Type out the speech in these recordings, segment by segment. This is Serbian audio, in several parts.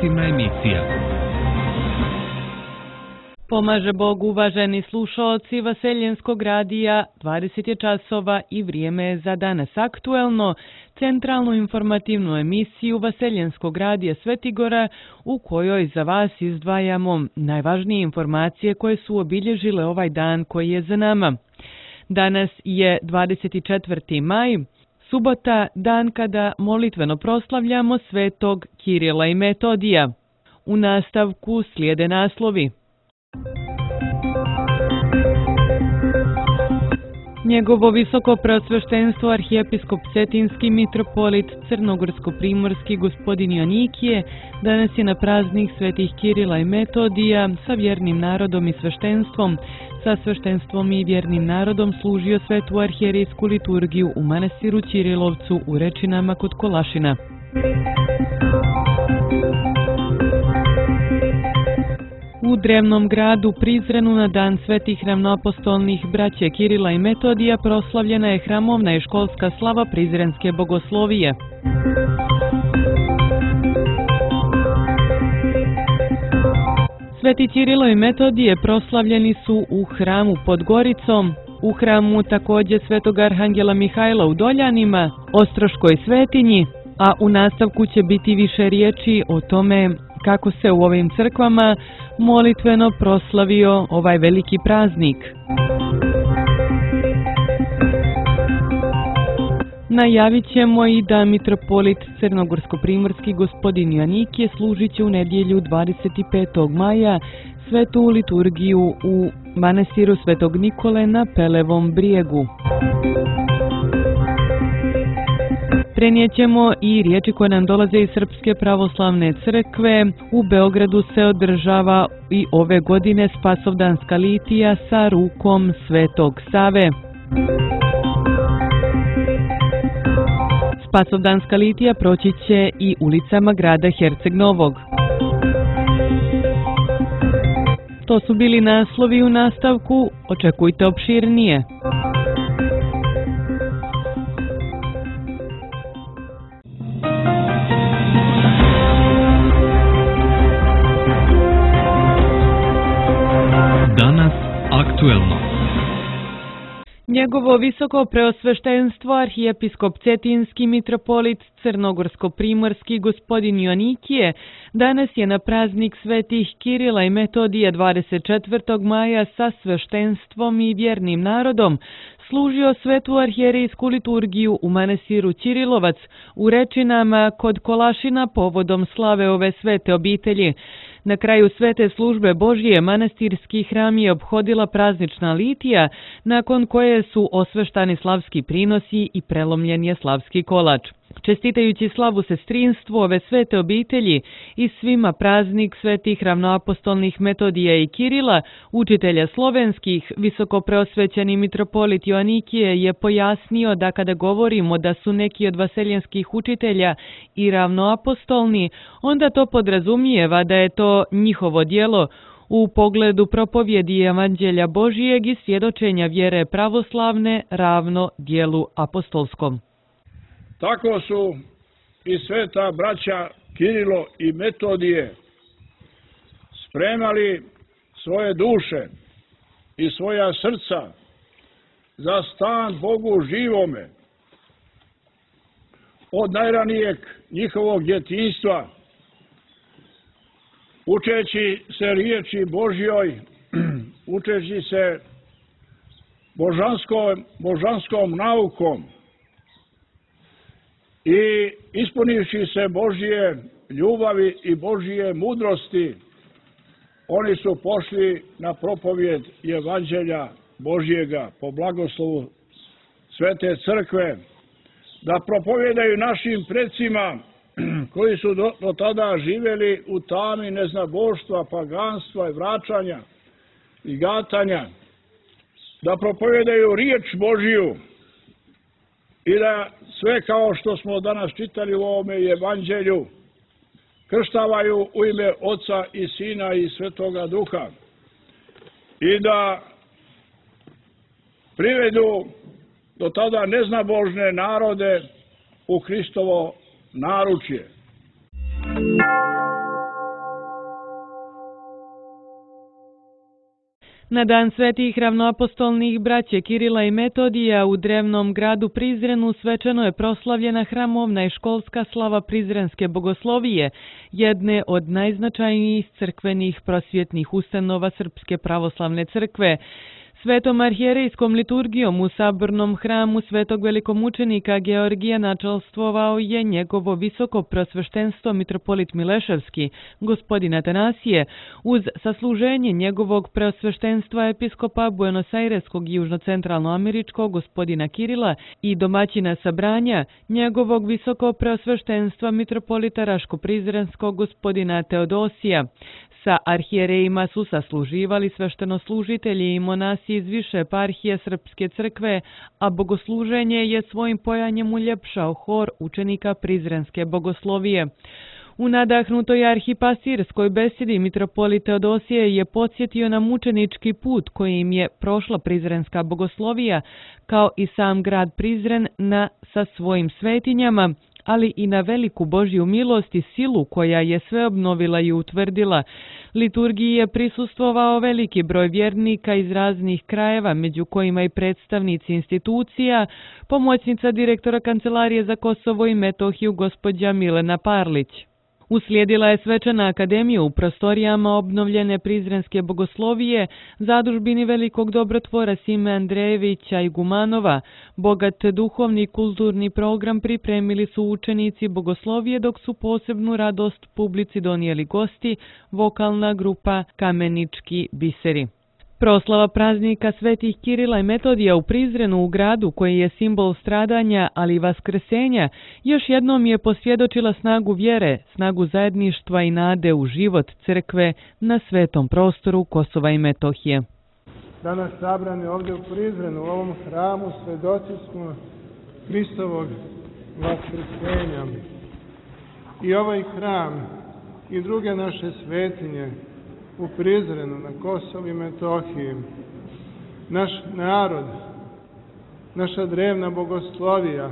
informativna emisija. Pomaže Bog, uvaženi slušaoci Vaseljenskog radija, 20 je časova i vrijeme je za danas aktuelno, centralnu informativnu emisiju Vaseljenskog radija Svetigora, u kojoj za vas izdvajamo najvažnije informacije koje su obilježile ovaj dan koji je za nama. Danas je 24. maj, subota, dan kada molitveno proslavljamo svetog Kirila i Metodija. U nastavku slijede naslovi. Njegovo visoko preosveštenstvo arhijepiskop Cetinski mitropolit Crnogorsko-primorski gospodin Joanikije danas je na praznik svetih Kirila i Metodija sa vjernim narodom i sveštenstvom. Sa sveštenstvom i vjernim narodom služio svetu arhijerijsku liturgiju u manastiru Ćirilovcu u Rečinama kod Kolašina. U drevnom gradu Prizrenu na dan svetih ravnoapostolnih braće Kirila i Metodija proslavljena je hramovna i školska slava Prizrenske bogoslovije. Sveti Kirilo i Metodije proslavljeni su u hramu pod Goricom, u hramu također svetog arhangela Mihajla u Doljanima, Ostroškoj svetinji, a u nastavku će biti više riječi o tome kako se u ovim crkvama molitveno proslavio ovaj veliki praznik. Najavit ćemo i da mitropolit Crnogorsko-primorski gospodin Joanikije služit će u nedjelju 25. maja svetu liturgiju u manastiru Svetog Nikole na Pelevom brijegu. Prenijećemo i riječi koje nam dolaze iz Srpske pravoslavne crkve. U Beogradu se održava i ove godine Spasovdanska litija sa rukom Svetog Save. Spasovdanska litija proći će i ulicama grada Herceg Novog. To su bili naslovi, u nastavku očekujte opširnije. Danas aktuelno. Njegovo visoko preosveštenstvo arhijepiskop Cetinski mitropolit Crnogorsko-primorski gospodin Joanikije danas je na praznik svetih Kirila i Metodija 24. maja sa sveštenstvom i vjernim narodom služio svetu arhijerijsku liturgiju u manastiru Ćirilovac u Rečinama kod Kolašina povodom slave ove svete obitelji. Na kraju svete službe Božije manastirski hram je obhodila praznična litija, nakon koje su osveštani slavski prinosi i prelomljen je slavski kolač. Čestitajući slavu sestrinstvu ove svete obitelji i svima praznik svetih ravnoapostolnih Metodija i Kirila, učitelja slovenskih, visoko preosvećeni mitropolit Joanikije je pojasnio da kada govorimo da su neki od vaseljenskih učitelja i ravnoapostolni, onda to podrazumijeva da je to njihovo djelo u pogledu propovjedi Evanđelja Božijeg i svjedočenja vjere pravoslavne ravno djelu apostolskom. Tako su i sveta braća Kirilo i Metodije spremali svoje duše i svoja srca za stan Bogu živome. Od najranijeg njihovog djetinjstva, učeći se riječi Božjoj, učeći se božanskom naukom, i ispunivši se Božje ljubavi i Božje mudrosti, oni su pošli na propovjed Evanđelja Božjega po blagoslovu Svete Crkve, da propovjedaju našim precima koji su do tada živjeli u tami neznaboštva, paganstva i vraćanja i gatanja, da propovjedaju riječ Božju i da sve kao što smo danas čitali u ovome Evanđelju krštavaju u ime Oca i Sina i Svetoga Duha i da privedu do tada neznabožne narode u Hristovo naručje. Na dan svetih ravnoapostolnih braće Kirila i Metodija u drevnom gradu Prizrenu svečano je proslavljena hramovna i školska slava Prizrenske bogoslovije, jedne od najznačajnijih crkvenih prosvjetnih ustanova Srpske pravoslavne crkve. Svetom arhijerejskom liturgijom u sabornom hramu svetog velikomučenika Georgija načelstvovao je njegovo visoko prosveštenstvo mitropolit Mileševski, gospodin Atanasije, uz sasluženje njegovog prosveštenstva episkopa Buenos Aireskog i južnocentralnoameričkog gospodina Kirila i domaćina sabranja njegovog visoko prosveštenstva mitropolita Raško-Prizrenskog gospodina Teodosija. Sa arhijerejima su sasluživali sveštenoslužitelji i monasi iz više eparhije Srpske crkve, a bogosluženje je svojim pojanjem uljepšao hor učenika Prizrenske bogoslovije. U nadahnutoj arhipastirskoj besedi mitropolit Teodosije je podsjetio na mučenički put kojim je prošla Prizrenska bogoslovija, kao i sam grad Prizren sa svojim svetinjama, ali i na veliku Božju milost i silu koja je sve obnovila i utvrdila. Liturgiji je prisustvovao veliki broj vjernika iz raznih krajeva, među kojima i predstavnici institucija, pomoćnica direktora Kancelarije za Kosovo i Metohiju gospođa Milena Parlić. Uslijedila je svečana akademija u prostorijama obnovljene Prizrenske bogoslovije, zadužbini velikog dobrotvora Sime Andrejevića i Gumanova. Bogat duhovni i kulturni program pripremili su učenici bogoslovije, dok su posebnu radost publici donijeli gosti, vokalna grupa Kamenički biseri. Proslava praznika svetih Kirila i Metodija u Prizrenu, u gradu koji je simbol stradanja, ali i vaskrsenja, još jednom je posvjedočila snagu vjere, snagu zajedništva i nade u život crkve na svetom prostoru Kosova i Metohije. Danas sabrani ovdje u Prizrenu, u ovom hramu, svedoci smo Hristovog vaskrsenja. I ovaj hram i druge naše svetinje u Prizrenu, na Kosovu i Metohiji, naš narod, naša drevna bogoslovija,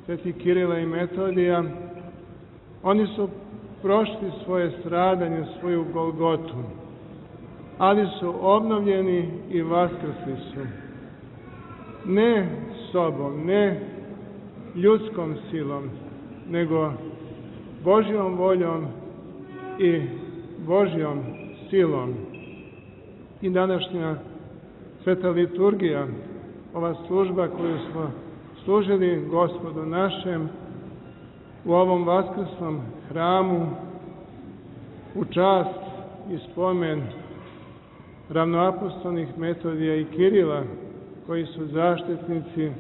sveti Kirila i Metodija, oni su prošli svoje stradanje, svoju Golgotu, ali su obnovljeni i vaskrsli su. Ne sobom, ne ljudskom silom, nego Božjom voljom i Božjom silom. I današnja sveta liturgija, ova služba koju smo služili Gospodu našem u ovom vaskrsnom hramu, u čast i spomen ravnoapostolnih Metodija i Kirila, koji su zaštitnici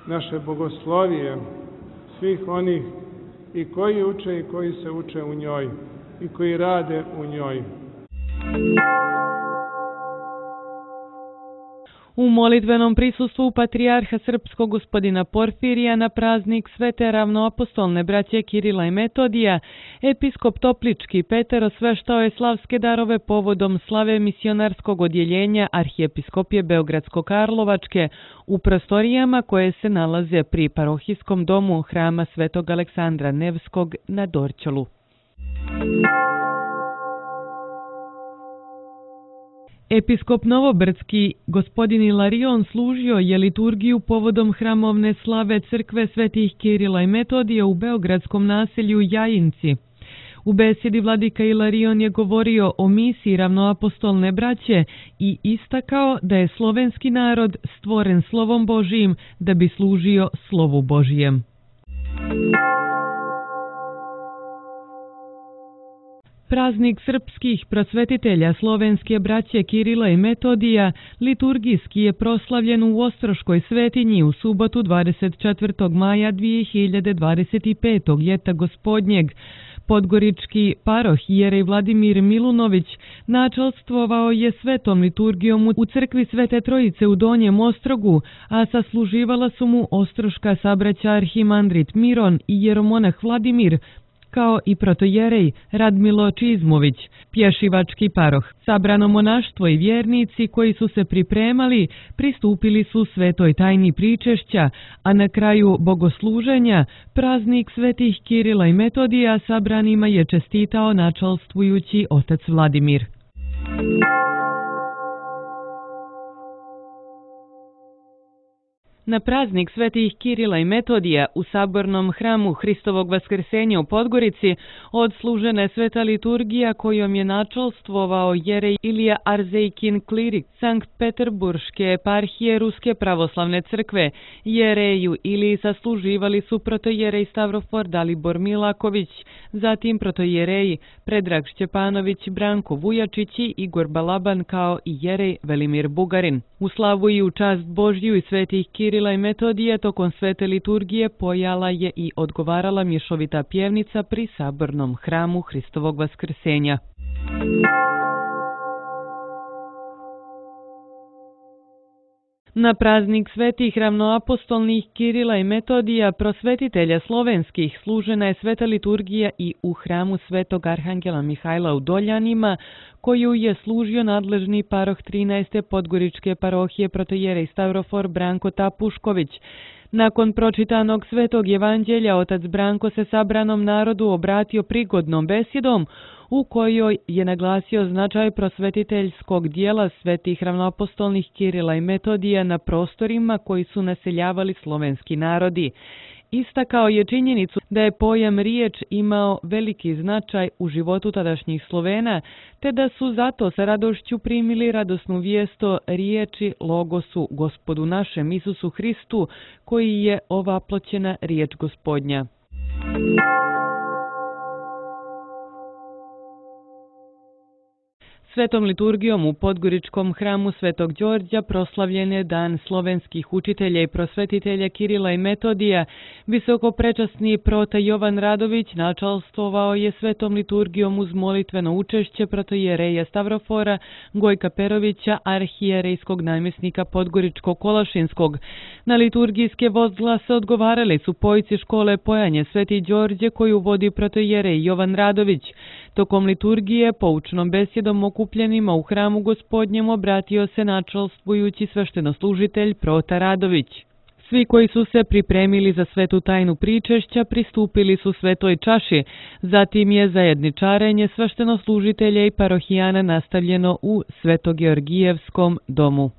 naše bogoslovije, svih onih i koji uče i koji se uče u njoj i koji rade u njoj. U molitvenom prisustvu patrijarha srpskog gospodina Porfirija na praznik svete ravnoapostolne braće Kirila i Metodija, episkop Toplički Petar osveštao je slavske darove povodom slave misionarskog odjeljenja Arhijepiskopije Beogradsko-Karlovačke u prostorijama koje se nalaze pri parohijskom domu hrama svetog Aleksandra Nevskog na Dorćolu. Episkop Novobrdski, gospodin Ilarion, služio je liturgiju povodom hramovne slave crkve svetih Kirila i Metodija u beogradskom naselju Jajinci. U besedi vladika Ilarion je govorio o misiji ravnoapostolne braće i istakao da je slovenski narod stvoren slovom Božijim da bi služio slovu Božijem. Praznik srpskih prosvetitelja slovenske braće Kirila i Metodija liturgijski je proslavljen u Ostroškoj svetinji u subotu 24. maja 2025. ljeta gospodnjeg. Podgorički paroh Jerej Vladimir Milunović načelstvovao je svetom liturgijom u crkvi Svete Trojice u Donjem Ostrogu, a sasluživala su mu ostroška sabraća arhimandrit Miron i jeromonah Vladimir, kao i protojerej Radmilo Čizmović, pješivački paroh. Sabrano monaštvo i vjernici koji su se pripremali pristupili su svetoj tajni pričešća, a na kraju bogosluženja praznik svetih Kirila i Metodija sabranima je čestitao načelstvujući otac Vladimir. Na praznik svetih Kirila i Metodija u sabornom hramu Hristovog vaskrsenja u Podgorici odslužena je sveta liturgija kojom je načelstvovao jerej Ilija Arzejkin klirik Sankt Peterburške eparhije Ruske pravoslavne crkve. Jereju Iliji sasluživali su protojerej Stavrofor Dalibor Milaković, zatim protojereji Predrag Šćepanović, Branko Vujačić i Igor Balaban kao i jerej Velimir Bugarin. U slavu i u čast Božju i svetih Kirila i Metodija tokom svete liturgije pojala je i odgovarala mješovita pjevnica pri sabornom hramu Hristovog vaskrsenja. Na praznik svetih ravnoapostolnih Kirila i Metodija, prosvetitelja slovenskih, služena je sveta liturgija i u hramu svetog arhangela Mihajla u Doljanima, koju je služio nadležni paroh 13. Podgoričke parohije protojerej Stavrofor Branko Tapušković. Nakon pročitanog svetog evanđelja, otac Branko se sabranom narodu obratio prigodnom besjedom, u kojoj je naglasio značaj prosvetiteljskog dijela svetih ravnoapostolnih Kirila i Metodija na prostorima koji su naseljavali slovenski narodi. Istakao je činjenicu da je pojam riječ imao veliki značaj u životu tadašnjih Slovena, te da su zato sa radošću primili radosnu vijest o riječi Logosu, Gospodu našem Isusu Hristu, koji je ovaploćena riječ Gospodnja. Svetom liturgijom u Podgoričkom hramu Svetog Đorđa proslavljen je dan slovenskih učitelja i prosvetitelja Kirila i Metodija. Visokoprečasni prota Jovan Radović načalstvovao je svetom liturgijom uz molitveno učešće protojereja Stavrofora Gojka Perovića, arhijerejskog namjesnika Podgoričko-Kolašinskog. Na liturgijske возглase odgovarali su pojci škole Pojanje Sveti Đorđe koju vodi protojerej Jovan Radović. Tokom liturgije poučnom besjedom okupljenima u hramu Gospodnjem obratio se načalstvujući sveštenoslužitelj prota Radović. Svi koji su se pripremili za svetu tajnu pričešća pristupili su svetoj čaši, zatim je zajedničarenje sveštenoslužitelja i parohijana nastavljeno u Svetogeorgijevskom domu.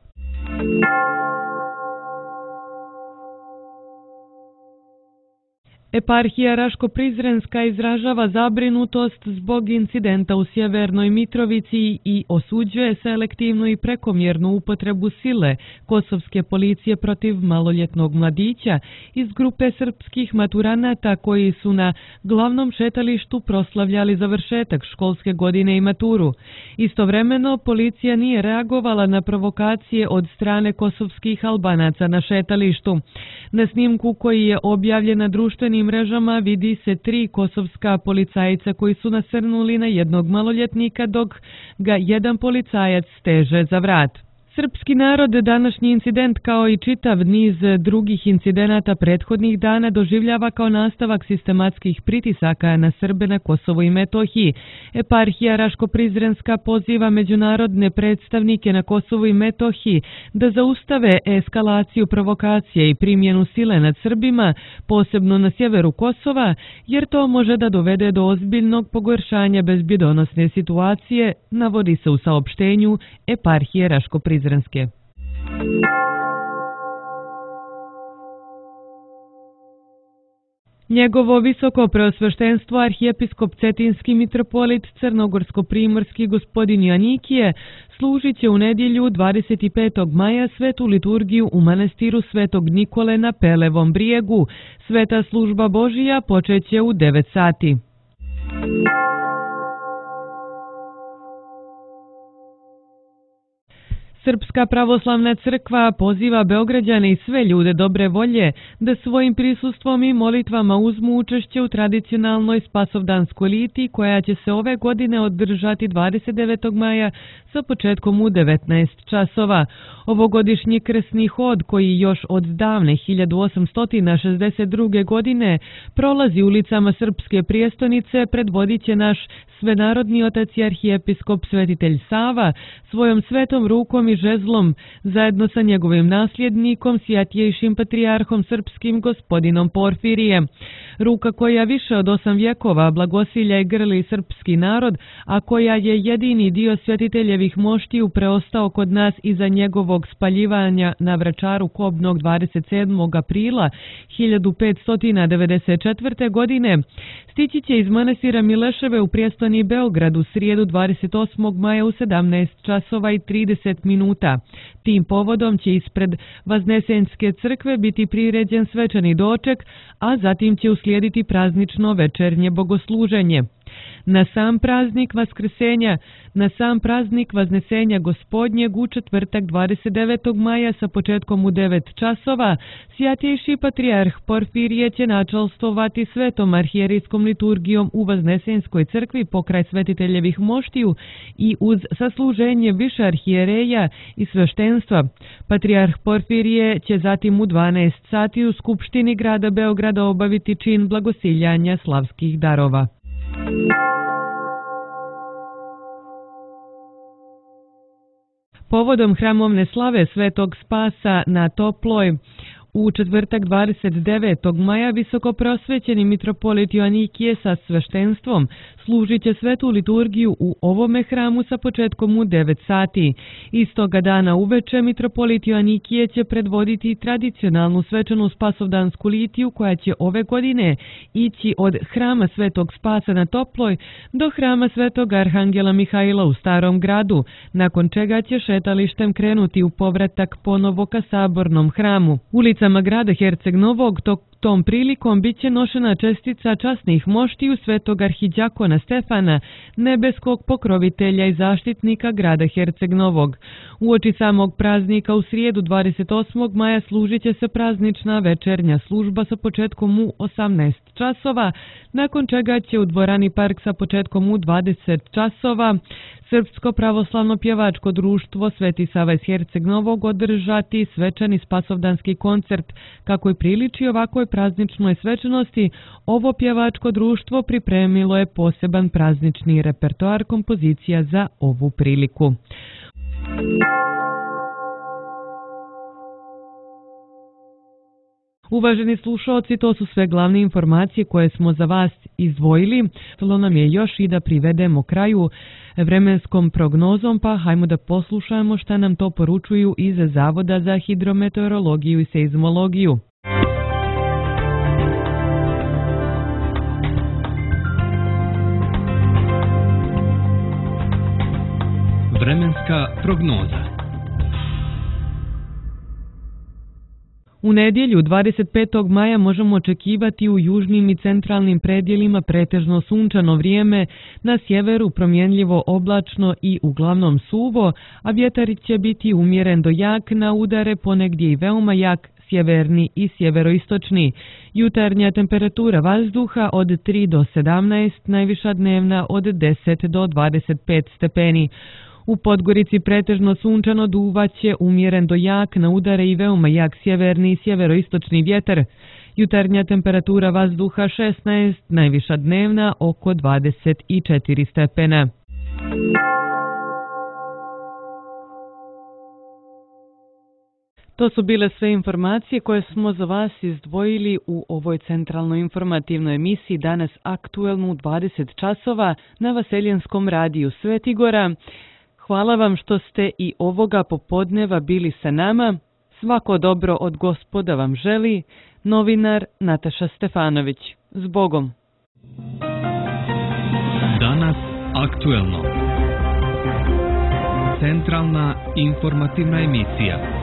Eparhija Raško-Prizrenska izražava zabrinutost zbog incidenta u Sjevernoj Mitrovici i osuđuje selektivnu i prekomjernu upotrebu sile kosovske policije protiv maloljetnog mladića iz grupe srpskih maturanata koji su na glavnom šetalištu proslavljali završetak školske godine i maturu. Istovremeno, policija nije reagovala na provokacije od strane kosovskih Albanaca na šetalištu. Na snimku koji je objavljen na društvenim mrežama vidi se 3 kosovska policajca koji su nasrnuli na jednog maloljetnika dok ga jedan policajac steže za vrat. Srpski narod današnji incident kao i čitav niz drugih incidenata prethodnih dana doživljava kao nastavak sistematskih pritisaka na Srbe na Kosovu i Metohiji. Eparhija Raško-Prizrenska poziva međunarodne predstavnike na Kosovu i Metohiji da zaustave eskalaciju provokacije i primjenu sile nad Srbima, posebno na sjeveru Kosova, jer to može da dovede do ozbiljnog pogoršanja bezbjedonosne situacije, navodi se u saopštenju Eparhije Raško-Prizrenske. Njegovo visoko preosveštenstvo arhijepiskop Cetinski mitropolit Crnogorsko-primorski gospodin Joanikije služit će u nedjelju 25. maja svetu liturgiju u manastiru Svetog Nikole na Pelevom brijegu. Sveta služba Božija počeće u 9 sati. Srpska pravoslavna crkva poziva Beograđane i sve ljude dobre volje da svojim prisustvom i molitvama uzmu učešće u tradicionalnoj spasovdanskoj liti koja će se ove godine održati 29. maja sa početkom u 19 časova. Ovogodišnji krsni hod koji još od davne 1862. godine prolazi ulicama Srpske prijestolnice predvodit će naš Svenarodni otac i arhijepiskop svetitelj Sava svojom svetom rukom i žezlom, zajedno sa njegovim nasljednikom, svjatjejšim patrijarhom srpskim gospodinom Porfirijem. Ruka koja više od 8 vjekova blagosilja i grli srpski narod, a koja je jedini dio svjetiteljevih moštiju preostao kod nas iza njegovog spaljivanja na Vračaru Kobnog 27. aprila 1594. godine, stići će iz manastira Mileševe u prijestoni Beograd u srijedu 28. maja u 17 časova i 30 minuta. Tim povodom će ispred Vaznesenske crkve biti priređen svečani doček, a zatim će uslijediti praznično večernje bogosluženje. Na sam praznik Vaznesenja Gospodnjeg u četvrtak 29. maja sa početkom u 9 časova, svjatjejši patrijarh Porfirije će načalstovati svetom arhijerijskom liturgijom u Vaznesenskoj crkvi pokraj svetiteljevih moštiju i uz sasluženje više arhijereja i sveštenstva. Patrijarh Porfirije će zatim u 12 sati u Skupštini grada Beograda obaviti čin blagosiljanja slavskih darova. Povodom hramovne slave Svetog Spasa na Toploj, u četvrtak 29. maja visokoprosvećeni mitropolit Joanikije sa sveštenstvom služit će svetu liturgiju u ovome hramu sa početkom u 9 sati. Istoga dana uveče mitropolit Joanikije će predvoditi tradicionalnu svečanu spasovdansku litiju koja će ove godine ići od hrama Svetog Spasa na Toploj do hrama Svetog Arhangela Mihajla u Starom gradu, nakon čega će šetalištem krenuti u povratak ponovo ka sabornom hramu. Ulicama grada Herceg Novog tom prilikom bit će nošena čestica časnih moštiju Svetog arhidjakona Stefana, nebeskog pokrovitelja i zaštitnika grada Herceg Novog. Uoči samog praznika u srijedu 28. maja služit će se praznična večernja služba sa početkom u 18 časova, nakon čega će u dvorani Park sa početkom u 20 časova Srpsko pravoslavno pjevačko društvo Sveti Sava iz Herceg Novog održati svečani spasovdanski koncert. Kako i priliči ovakvoj prazničnoj svečanosti, ovo pjevačko društvo pripremilo je poseban praznični repertoar kompozicija za ovu priliku. Uvaženi slušalci, to su sve glavne informacije koje smo za vas izdvojili. Ostalo nam je još i da privedemo kraju vremenskom prognozom, pa hajmo da poslušamo šta nam to poručuju iz Zavoda za hidrometeorologiju i seizmologiju. Vremenska prognoza. U nedjelju 25. maja možemo očekivati u južnim i centralnim predjelima pretežno sunčano vrijeme, na sjeveru promjenljivo oblačno i uglavnom suvo, a vjetar će biti umjeren do jak, na udare ponegdje i veoma jak, sjeverni i sjeveroistočni. Jutarnja temperatura vazduha od 3 do 17, najviša dnevna od 10 do 25 stepeni. U Podgorici pretežno sunčano, duvaće umjeren do jak, na udare i veoma jak sjeverni i sjeveroistočni vjetar. Jutarnja temperatura vazduha 16, najviša dnevna oko 24 stepena. To su bile sve informacije koje smo za vas izdvojili u ovoj centralnoj informativnoj emisiji danas aktuelnu u 20 časova na Vaseljenskom radiju Svetigora. Hvala vam što ste i ovoga popodneva bili sa nama. Svako dobro od Gospoda vam želi. Novinar Nataša Stefanović. Zbogom. Danas aktuelno. Centralna informativna emisija.